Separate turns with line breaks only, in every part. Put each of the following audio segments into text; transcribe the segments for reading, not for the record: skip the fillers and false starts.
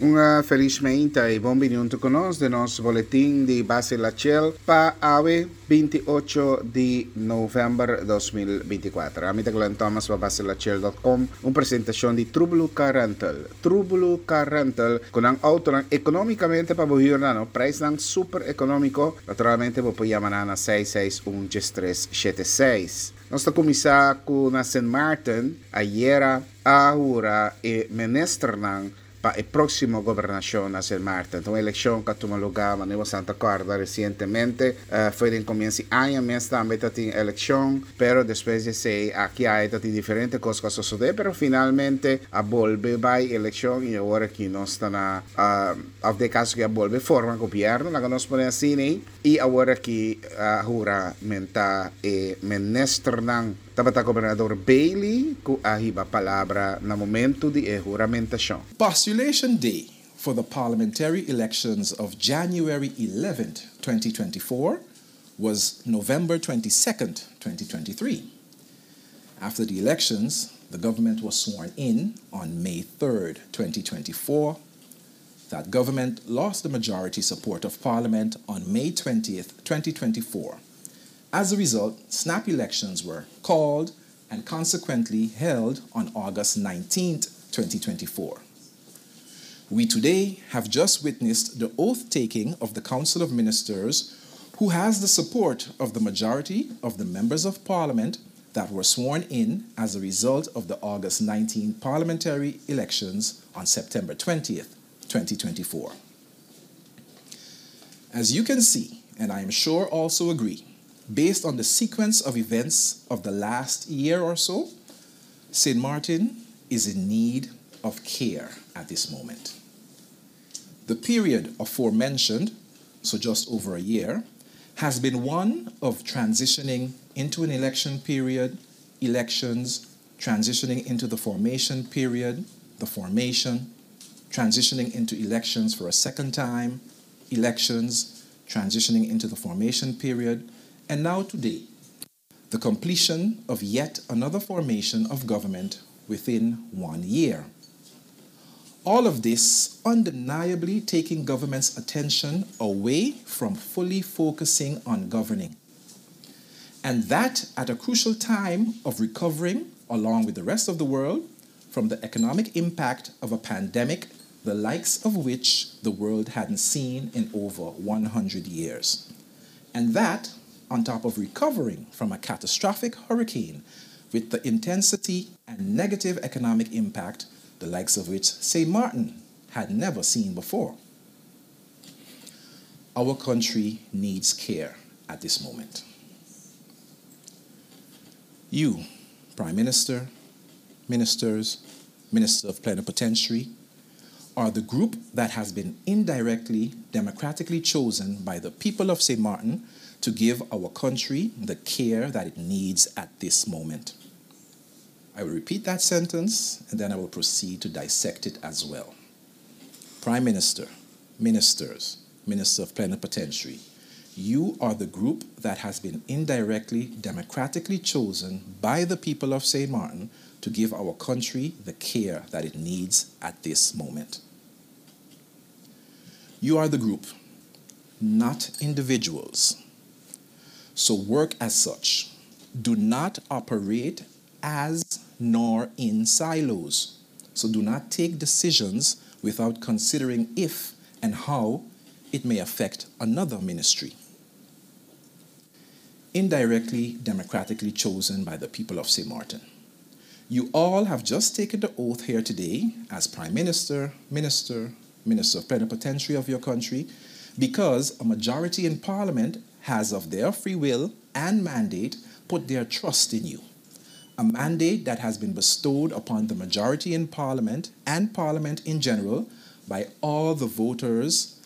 Un felis meinta i bon bini huntu ku nos den nos boletin di Base La Chel pa awe 28 di novèmber 2024. Ami ta Glenn Thomas pa baselachel dot com, un presentashon di Trublu Car Rental. Trublu Car Rental ku nan outonan ekonómikamente pa bo hür nan, no preisnan super ekonómiko. Naturalmente bo por yama nan na seis seis un diestres shete seis. Nos ta kuminsá ku na Sint Maarten ayera a hura e ministernan pa e próksimo gobernashon na Sint Maarten. Ta un elekshon ku a tuma lugá, manera bo sa ta kòrda, resientemente. Foi den komienso di aña mes tambe ta tin elekshon, pero despues di esei aki aya ta tin diferente kos ku a sosodé, pero finalmente a bolbe bai elekshon i awor aki nos ta na, òf den e kaso aki a bolbe forma gobièrnu, laga nos pone asina ei, i awor aki a huramentá e ministernan. Tabata Gobernador Bailey ku a hiba palabra na momentu di e huramentashon.
Postulation Day for the parliamentary elections of January 11th, 2024 was November 22nd, 2023. After the elections, the government was sworn in on May 3rd, 2024. That government lost the majority support of parliament on May 20th, 2024. As a result, snap elections were called and consequently held on August 19th, 2024. We today have just witnessed the oath-taking of the Council of Ministers, who has the support of the majority of the members of parliament that were sworn in as a result of the August 19 parliamentary elections on September 20th, 2024. As you can see, and I am sure also agree, based on the sequence of events of the last year or so, St. Martin is in need of care at this moment. The period aforementioned, so just over a year, has been one of transitioning into an election period, elections, transitioning into the formation period, the formation, transitioning into elections for a second time, elections, transitioning into the formation period, and now today, the completion of yet another formation of government within one year. All of this undeniably taking government's attention away from fully focusing on governing. And that at a crucial time of recovering, along with the rest of the world, from the economic impact of a pandemic the likes of which the world hadn't seen in over 100 years. And that on top of recovering from a catastrophic hurricane with the intensity and negative economic impact the likes of which St. Martin had never seen before. Our country needs care at this moment. You, Prime Minister, ministers, Minister of Plenipotentiary, are the group that has been indirectly, democratically chosen by the people of St. Martin to give our country the care that it needs at this moment. I will repeat that sentence and then I will proceed to dissect it as well. Prime Minister, ministers, Minister of Plenipotentiary, you are the group that has been indirectly, democratically chosen by the people of St. Martin to give our country the care that it needs at this moment. You are the group, not individuals. So work as such. Do not operate as nor in silos. So do not take decisions without considering if and how it may affect another ministry. Indirectly, democratically chosen by the people of St. Martin. You all have just taken the oath here today as Prime Minister, Minister, Minister of Plenipotentiary of your country, because a majority in Parliament has of their free will and mandate put their trust in you. A mandate that has been bestowed upon the majority in Parliament and Parliament in general by all the voters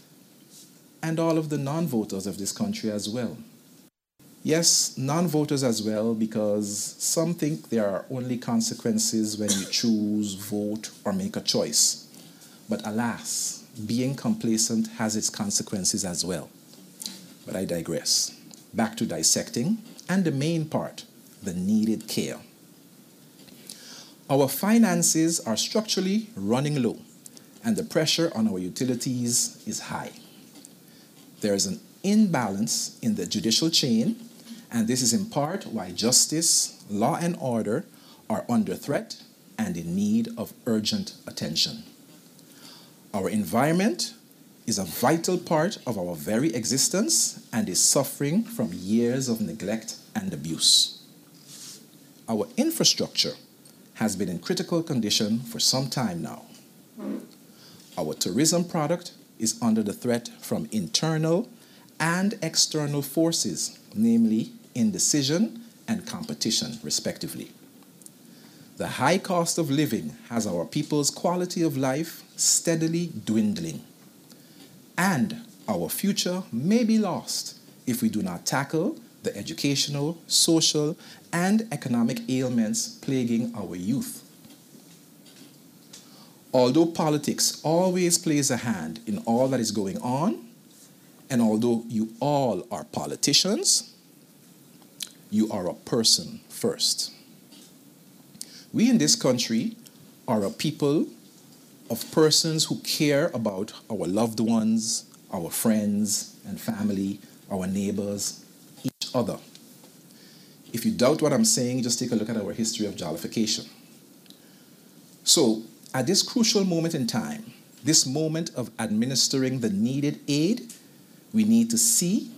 and all of the non-voters of this country as well. Yes, non-voters as well, because some think there are only consequences when you choose, vote, or make a choice. But alas, being complacent has its consequences as well. But I digress. Back to dissecting, and the main part, the needed care. Our finances are structurally running low, and the pressure on our utilities is high. There is an imbalance in the judicial chain, and this is in part why justice, law, and order are under threat and in need of urgent attention. Our environment is a vital part of our very existence and is suffering from years of neglect and abuse. Our infrastructure has been in critical condition for some time now. Our tourism product is under the threat from internal and external forces, namely indecision and competition, respectively. The high cost of living has our people's quality of life steadily dwindling. And our future may be lost if we do not tackle the educational, social, and economic ailments plaguing our youth. Although politics always plays a hand in all that is going on, and although you all are politicians, you are a person first. We in this country are a people of persons who care about our loved ones, our friends and family, our neighbors, each other. If you doubt what I'm saying, just take a look at our history of jollification. So, at this crucial moment in time, this moment of administering the needed aid, we need to see,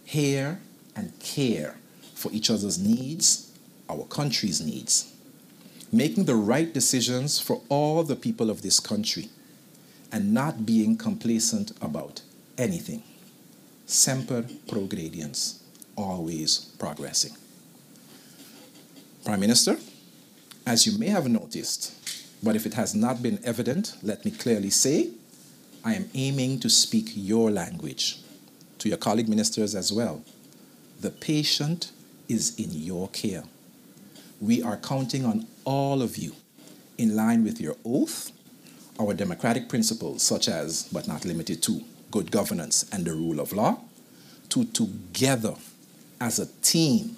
hear, and care for each other's needs, our country's needs, making the right decisions for all the people of this country, and not being complacent about anything. Semper progrediens, always progressing. Prime Minister, as you may have noticed, but if it has not been evident, let me clearly say, I am aiming to speak your language, to your colleague ministers as well. The patient is in your care. We are counting on all of you, in line with your oath, our democratic principles, such as, but not limited to, good governance and the rule of law, to together, as a team,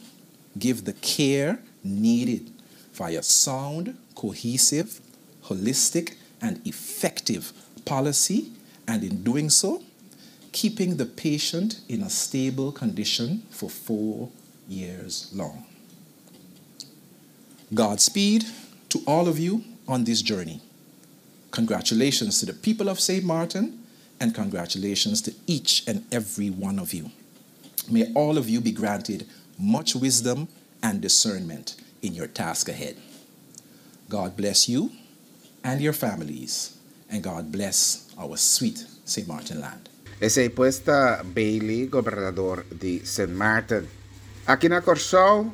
give the care needed via sound, cohesive, holistic, and effective policy, and in doing so, keeping the patient in a stable condition for 4 years long. Godspeed to all of you on this journey. Congratulations to the people of St. Martin, and congratulations to each and every one of you. May all of you be granted much wisdom and discernment in your task ahead. God bless you and your families, and God bless our sweet St. Martin land.
Esei pues ta Bailey, gobernador di Sint Maarten. Aki na Kòrsou,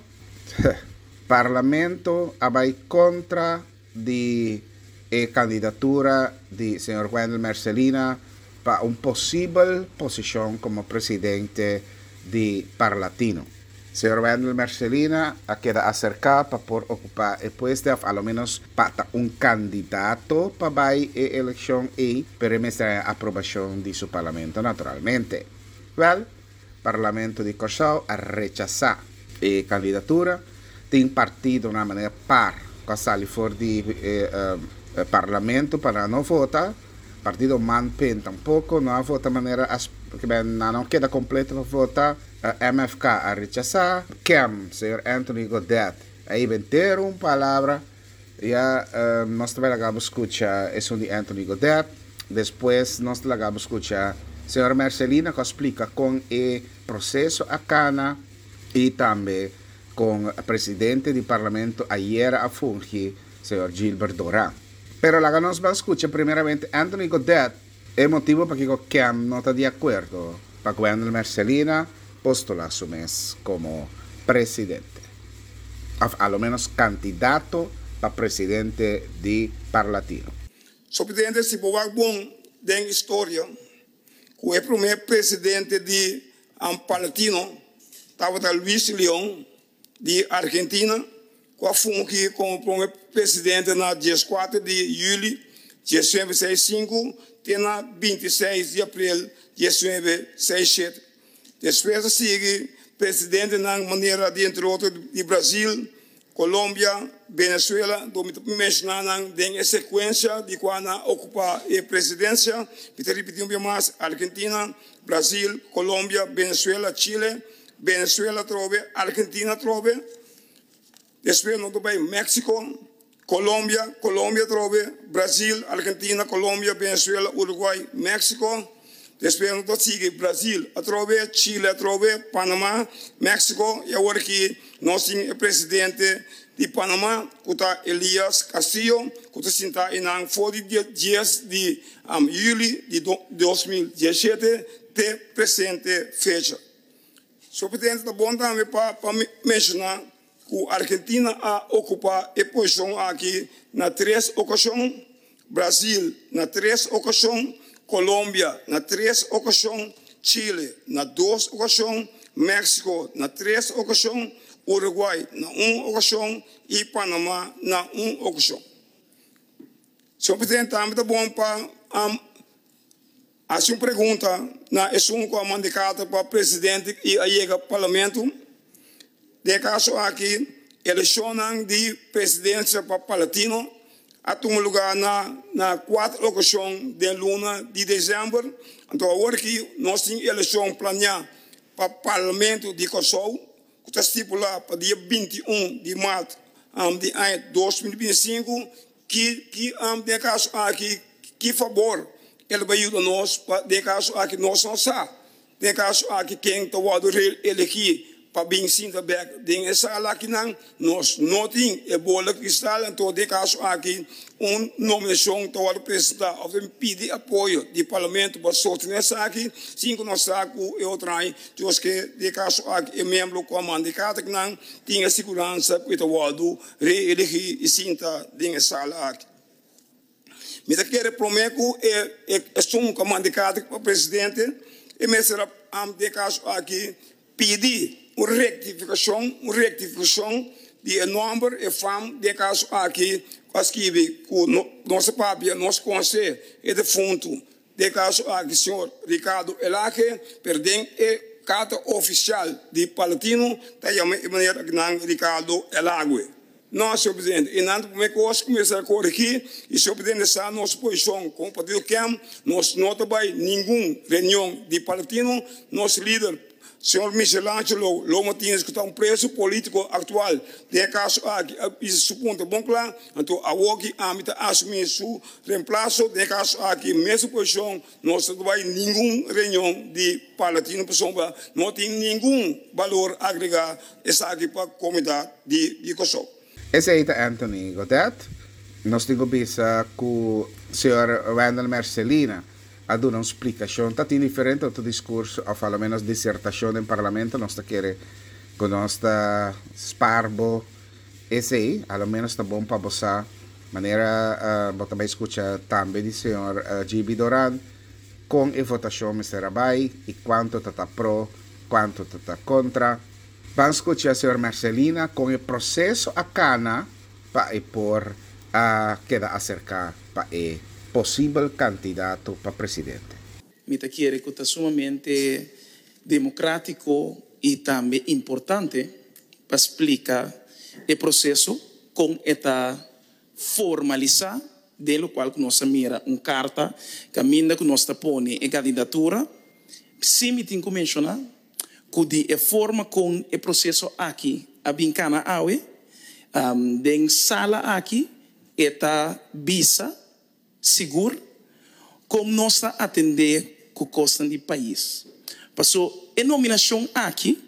Parlamento a bai kontra di e kandidatura di señor Wendell Mercelina pa un posibel posishon komo presidente di Parlatino. Señor Wendell Mercelina a keda aserká pa por okupá e pueste òf aloménos pa ta un kandidato pa bai e elekshon ei, pero e mester haña aprobashon di su parlamento naturalmente. Wèl, Parlamento di Kòrsou a rechasá e kandidatura. Tin partidonan manera par ku a sali for di e parlamento pa nan no vota. Partido MANPEN tampoko no a vota manera nan no keda kompleto pa vota. MFK a rechasá. Kem, señor Anthony Godett, a ibentero un palabra. Ya nos ta bai laga bo skucha esun di Anthony Godett. Despues nos ta laga bo skucha señor Mercelina ku a splika kon e proseso a kana i tambe kon presidente di parlamento ayera a fungi, señor Gilbert Doran. Pero laga nos ban skucha primeramente Anthony Godett. E motibo pakiko Kem no ta di akuerdo pa Gwendel Mercelina postula su mes komo presidente, òf a lo ménos kandidato pa presidente di Parlatino.
So presidente si bo wak bon den historia ku e prome presidente di Parlatino tabata Luis Leon di Argentina ku a fungi komo prome presidente na dieskuater di yüli diesnuebe seis sinku te na bintiseis di aprel diesnuebe seis shete. Despues a sigui presidentenan manera di entre otro di Brazil, Colombia, Venezuela, anto mi ta menshoná nan den e sekuensia di kua nan a okupá e presidensia. Mi ta ripití un bia mas, Argentina, Brasil, Colombia, Venezuela, Chile, Venezuela atrobe, Argentina atrobe. Despues nos ta bai Mexico, Colombia, Colombia atrobe, Brasil, Argentina, Colombia, Venezuela, Uruguay, Mexico. Despues nos ta sigui Brasil atrobe, Chile atrobe, Panama, Mexico y awor aki nos tin e presidente di Panama cu ta Elias Castillo cu ta sinta eynan for di dia dies di juli di 2017 te presente fecha. Señor Presidente, ta bon tambe pa menciona cu Argentina a ocupa e posicion aki na tres ocasion, Brasil na tres ocasion, Colombia na tres ocasion, Chile na dos ocasion, Mexico na tres ocasion, Uruguay na un ocasion y Panama na un ocasion. Señor Presidente, tambe ta bon pa Hasi un pregunta na esun ku a manda e karta pa presidente i a yega parlamento. Den e kaso aki, elekshonnan di presidensia pa Parlatino a tuma lugá na na kuater okashon den luna di desèmber. Anto awor ki nos tin elekshon planiá pa Parlamento di Kòrsou ku ta stipulá pa dia 21 di mart di aña 2025, Ki ki den e kaso aki ki fabor el bai yuda nos pa den e kaso aki nos no sa den e kaso aki ken ta wòrdu reelegí pa bin sinta bèk den e sala akinan nos no tin e bola kristal anto den e kaso aki un nominashon ta wòrdu presentá òf ta bin pidi apoyo di parlamento pa sostené esaki sin ku nos sa ku e otro aña dios ke den e kaso aki e miembro ku a manda e karta akinan tin e siguransa ku e ta wòrdu Reelegí i sinta den e sala aki. Mi ta kere promé ku e esun ku a manda e karta pa presidente, e mester a den e kaso aki pidi un rektifikashon, un rektifikashon di e nòmber, e fam den e kaso aki ku a skibi ku nos a papia, nos konosé e defuntu. Den e kaso aki señor Ricardo Elhage, pero den e karta ofisial di Parlatino ta yama e meneer akinan Ricardo Elhague. No, señor presidente, e nan ta prome kos ku mester a korigí i señor presidente sa nos posishon komo partido KEM, nos no ta bai ningun reunion di Parlatino, nos lider Señor Michelangelo Lo Martinez cu ta un preso politico actual den e caso aki a bisa su punto bon cla, anto awoki ami ta asumi su reemplaso den e caso aki mesun posicion nos no ta bay ningun reunion di Parlatino pasobra no tin ningun balor agrega esaki pa comunidad di Corsou.
Esey ta Anthony Godett. Nos tin cu bisa cu señor Wendell Mercelina a duna un splicacion. Ta tin diferente otro discurso of a lo menos disertacion den Parlamento. Nos ta kere cu nos ta spaar bo esey. A lo menos ta bon pa bo sa manera bo ta bay scucha tambe di señor GB Doran con e votacion mester a bay y cuanto ta ta pro, cuanto ta ta contra. Ban scucha señor Mercelina con e proceso a cana pa e por a keda acerca pa e posibel candidato pa presidente.
Mi ta kere ku ta sumamente demokratiko i tambe importante pa splika e proseso kon e ta formalisá den lokual ku nos a mira un karta kaminda ku nos ta pone e kandidatura. Sí mi tin ku menshoná ku di e forma kon e proseso aki a bin kana awe den sala aki e ta bisa sigur kon nos ta atendé ku kosnan di pais. Paso e nominashon aki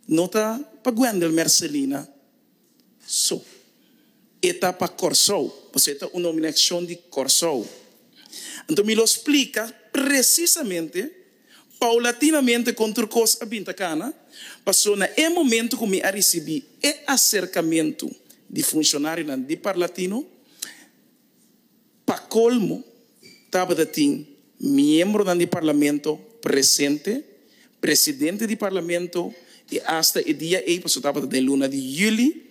no ta pa Gwendel Mercelina so. E ta pa Kòrsou, pasobra e ta un nominashon di Kòrsou. Anto mi lo splika presisamente, paulatinamente kon tur kos a bin ta kana, pasobra na e momento ku mi a risibí e aserkamentu di funshonarionan di Parlatino, Pa colmo tabata tin miembronan di Parlamento presente, presidente di Parlamento y hasta e dia ey, pasobra tabata den luna di juli,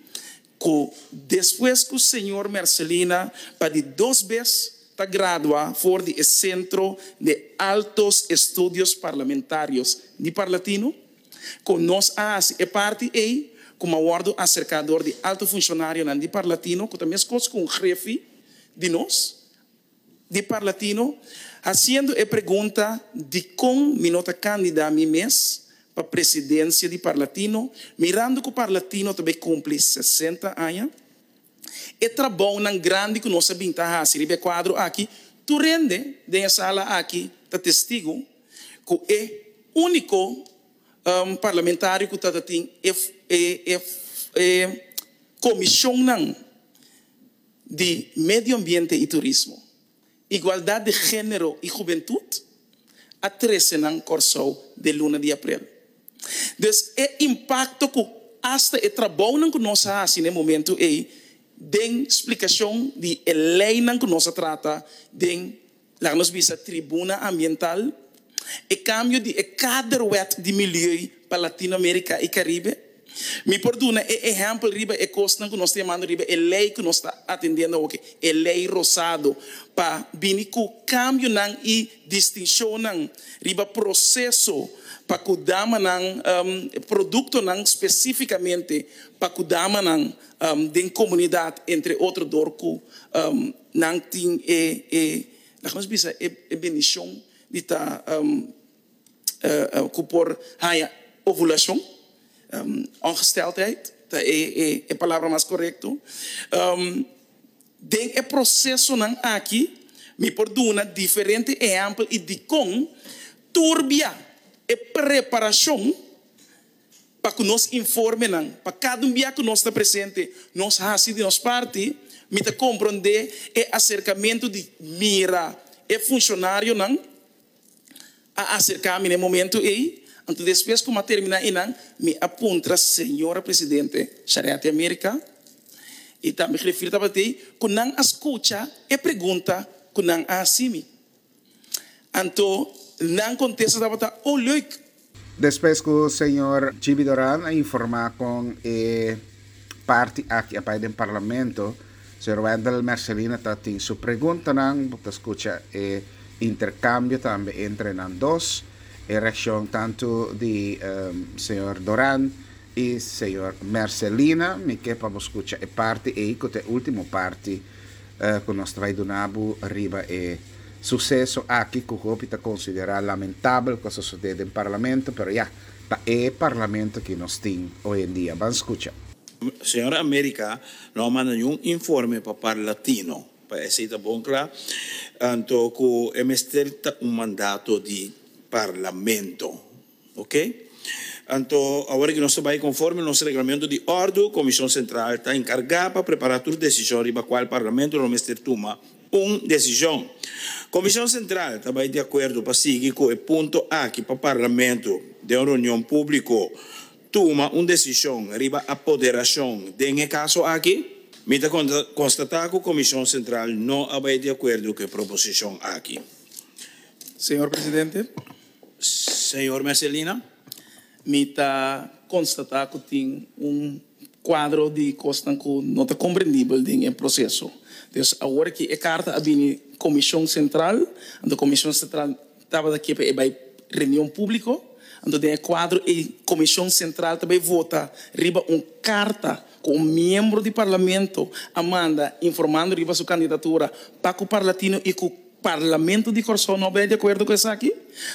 cu despues cu señor Mercelina pa di dos bes ta gradua for di e Centro de Altos Estudios Parlamentarios di Parlatino, cu nos a haci e parti ey. ku mi a wòrdu aserká dor di alto funshonarionan di Parlatino ku ta meskos ku un grefi di nos di Parlatino hasiendo e pregunta dikon mi no ta kandidá mi mes pa presidensia di Parlatino mirando ku Parlatino ta bai kumpli 60 aña. E trabounan grandi ku nos a bin ta hasi riba e kuadro aki, tur hende den e sala aki ta testigu ku e úniko parlamentario ku ta tin e e komishonnan di medio ambiente i turismo, igualdat di género i hubentut a trese nan Kòrsou den luna di aprel. Dus e impakto ku asta e trabounan ku nos a hasi na e momentu ei den splikashon di e leinan ku nos a trata den, laga nos bisa, tribuna ambiental, e kambio di e kaderwet di milieu pa Latinoamerika i Karibe. Mi por duna e ehèmpel riba e kosnan ku nos ta yamando riba e lei ku nos ta atendiendo awoki, e lei rosado, pa bini ku kambionan i distinshonnan riba proseso pa ku damanan, produktonan spesífikamente pa ku damanan den komunidat, entre otro dor ku nan tin e, e, laga nos bisa, e bendishon di ta. Ku por haña ovulashon, ongesteldheid ta e palabra mas korekto. Den e prosesonan aki mi por duna diferente ehèmpel i dikon turbia e preparashon pa ku nos informenan, pa kada un bia ku nos ta presente nos hasi di nos parti. Mi ta komprondé e aserkamentu di mira e funshonarionan a aserká mi na e momento ei. Anto despues ku mi a terminá einan, mi a puntra señora presidente Shariati America i tambe griffier tabata ei, ku nan a skucha e pregunta ku nan a hasi mi. Anto nan kontesta tabata, Oh leuk!
Despues ku señor Gibi Doran a informá kon e parti aki a bai den parlamento, señor Wendell Mercelina ta tin su preguntanan. Bo ta skucha e interkambio tambe entre nan dos, e reakshon tantu di señor Doran i señor Mercelina. Mi ke pa bo skucha e parti ei ku ta e último parti ku nos ta bai duna bo riba e suseso aki ku hopi ta konsiderá lamentabel ku a sosodé den parlamento, pero ya, ta e parlamento ki nos tin hoy en dia. Ban skucha.
Señora America no a manda niun informe pa Parlatino, pa esey ta bon cla, anto cu e mester ta un mandato di Parlamento. Ok. Anto awor ki nos ta bai conforme nos reglamento di ordu, Comision Central ta encarga pa prepara tur decision riba cual Parlamento lo mester tuma un decision. Comision Central ta bai di acuerdo pa sigui cu e punto aki pa Parlamento den un reunion publico tuma un decision riba apoderacion den e caso aki. Mi ta constata cu Comision Central no a bai di acuerdo cu e proposicion aki.
Señor Presidente.
Señor Mercelina.
Mi ta constata cu tin un cuadro di cosnan cu no ta comprendibel den e proceso. Dus awor ki e carta a bini Comision Central, anto Comision Central tabata ke pa e bay reunion publico, anto den e cuadro ey Comision Central ta bay vota riba un carta cu un miembro di Parlamento a manda informando riba su candidatura pa cu Parlatino y cu Parlamento di Kòrsou no bai di akuerdo ku esaki.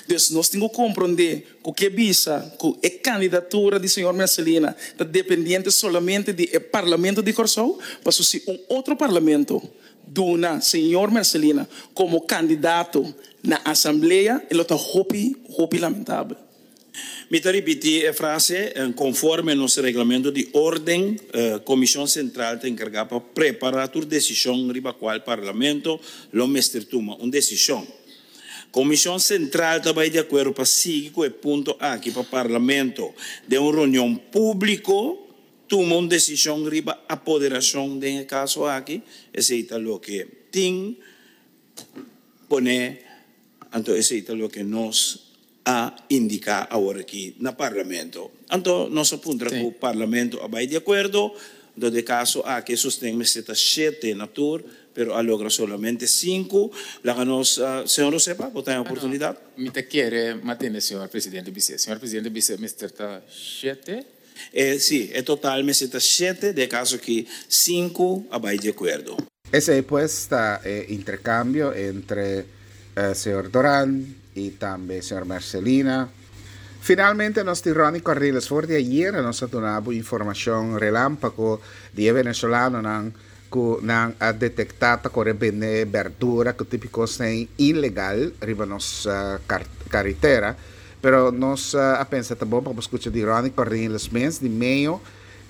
Dus nos tin ku komprondé ku ke bisa ku e kandidatura di señor Mercelina ta dependiente solamente di e Parlamento di Kòrsou, paso si un otro parlamento duna señor Mercelina komo kandidato na asamblea e lo ta hopi hopi lamentabel.
Mi ta ripití e frase, Konforme nos reglamento di órden, Komishon Sentral ta enkargá pa prepará tur desishon riba kual Parlamento lo mester tuma un desishon. Komishon Sentral ta bai di akuerdo pa sigui ku e punto aki pa Parlamento den un reunion públiko tuma un desishon riba apoderashon den e kaso aki. Esei ta loke tin pone, anto esei ta loke nos a indica awor aki na Parlamento. Anto nos a puntra cu Parlamento a bay di acuerdo, anto de caso aki e sosten mester ta shete na tur, pero a logra solamente sinku. Laga nos, señor Osepa, bo ta e oportunidad.
Mi ta kere matene señor Presidente bis'é. Señor Presidente bis'é mester ta shete.
E, sí, e total mester ta shete, den e kaso aki sinku a bai di akuerdo.
Esei pues ta e interkambio entre señor Doran i tambe señor Mercelina. Finalmente nos tin Ronnie Cornelis. For di ayera nos a duna bo informashon relampago di e venezolanonan ku nan a detektá ta kore bende berdura ku tipiko snei ilegal riba nos karitera. Pero nos a pensa ta bon pa bo skucha di Ronnie Cornelis mes di meyo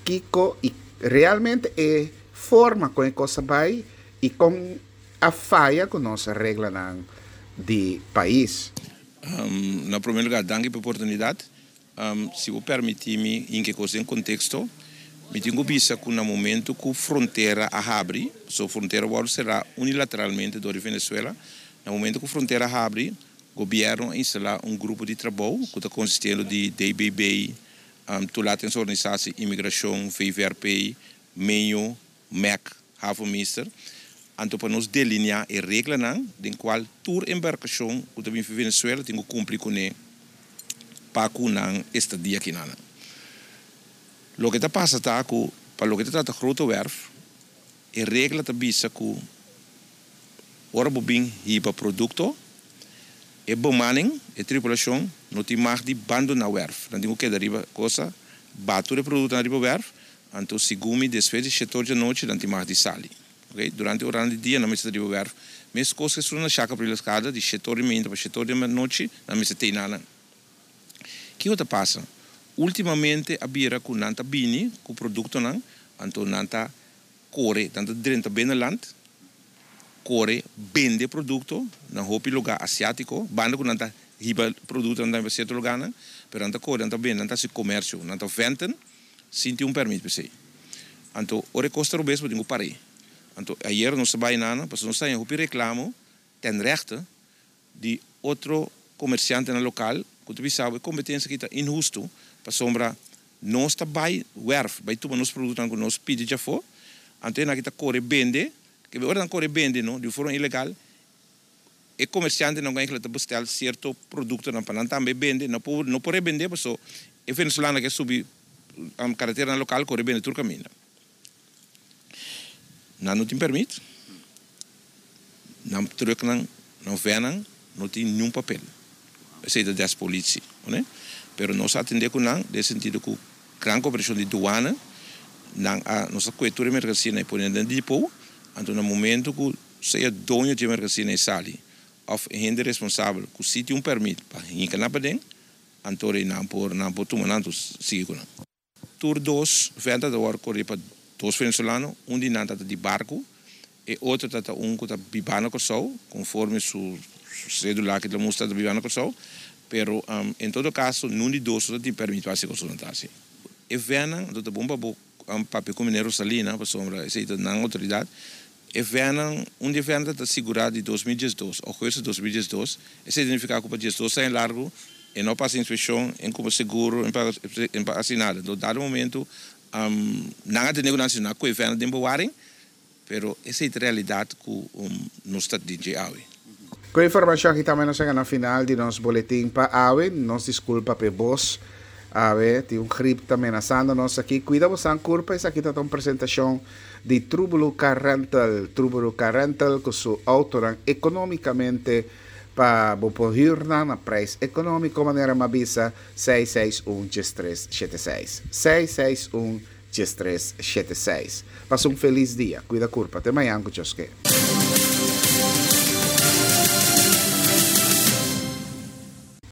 kiko i realmente e forma kon e kos a bai i kon a faya ku nos reglanan di pais.
Na promé lugá, danki pa e oportunidat. Si bo permití mi hinka e kos den konteksto, mi tin ku bisa ku na momentu ku frontera a habri, pasobra frontera wòrdu será unilateralmente dor di Venezuela, na momentu ku frontera a habri, gobièrnu a instalá un grupo di trabou ku ta konsistiendo di DBB, Toelatingsorganisatie Immigrashon, VVRP, Meño, Mec, Havenmeester, anto pa nos delineá e reglanan den kual tur embarkashon ku ta bin fi Venezuela tin ku kumpli kuné pa ku nan estadia kinanan. Loke ta pasa ta ku pa loke ta trata Grote Werf, e regla ta bisa ku ora bo bin hiba produkto, e bemanning, e tripulashon, no tin mag di bandoná wèrf. Nan tin ku keda riba kosa, ba tur e produktonan riba wèrf, Anto segun mi despues di shetor djanochi nan tin mag di sali. Ok, durante oranan di dia nan mester ta riba wèrf. Meskos ku esun na Shaka Apriles Kada, di shetor di mainta pa shetor di anochi nan mester tei nanan. Kiko ta pasa? Ultimamente a bira ku nan ta bini ku produktonan, anto nan ta kore, nan ta drenta binnenland, kore bende produkto na hopi lugá asiátiko, banda ku nan ta hiba produktonan tambe pa sierto lugánan, pero nan ta kore, nan ta bende, nan ta hasi komersio, nan ta venten. Sin tin un permit p'esei. Anto ora e kos ta robes bo tin ku par'é. Anto ayer nos a bai nana pasobra nos a haña hopi reklamo ten rechte di otro komersiantenan lokal ku ta bisa bo e kompetensia aki ta inhustu pasobra nos ta bai wèrf bai tuma nos produktonan ku nos pidi djafó anto e nan aki ta kore bende ke ora nan kore bende no di un forma ilegal e komersiantenan ku eigenlijk ta bestel sierto produktonan pa nan tambe bende, no por no por rebende paso e venezolano ke subi kareteranan lokal kore bende tur kaminda. Nan no tin permit, nan trùknan, nan vènnan no tin niun papel. Esei ta des polisi, oné? Pero nos a atendé ku nan den sentido ku gran koperashon di duana nan a nos a kue tur e merkansia nan e pone den depo, anto na momento ku Sea doño dje mercancia e sali of e hende responsabel cu si tin un permit pa hinca nan paden, anto rei nan por nan por tuma nan anto sigui cu nan. Tur dos venta ta worde corri pa dos venezolano, un di nan ta ta di barco, e otro ta ta un cu ta biba na Corsou, conforme su cedula ki ta mustra ta biba na Corsou, pero en todo caso nun di dos no ta tin permit pa haci cos cu nan ta haci. E vennan anto ta bon pa bo papia cu meneer Rosalina pasobra esey ta nan autoridad. E vènnan, un di e vènnan ta sigurá di 2012, ougùstus 2012, esei ta nifiká ku pa diesdos aña largu e no pasa inspekshon, e no kumpra seguro, e no pa hasi nada. Enton dado momentu nan a tene ku nan si nan a kohe vènnan den bewaring, pero esei ta realidat ku nos ta den dje awe.
Ku e informashon aki tambe nos yega na final di nos boletin pa awe. Nos diskulpa p'e bos awe, tin un grip ta menasando nos aki. Kuida bosan kurpa, esaki ta ta un presentashon di Trubulu Car Rental. Trubulu Car Rental ku su autonan economicamente pa bo por huur nan na prijs economico manera m'a bisa seis seis un 13 shete seis. Seis seis un 13 shete seis. Pasa un feliz dia. Cuida curpa. Te mañan cu Dios ke.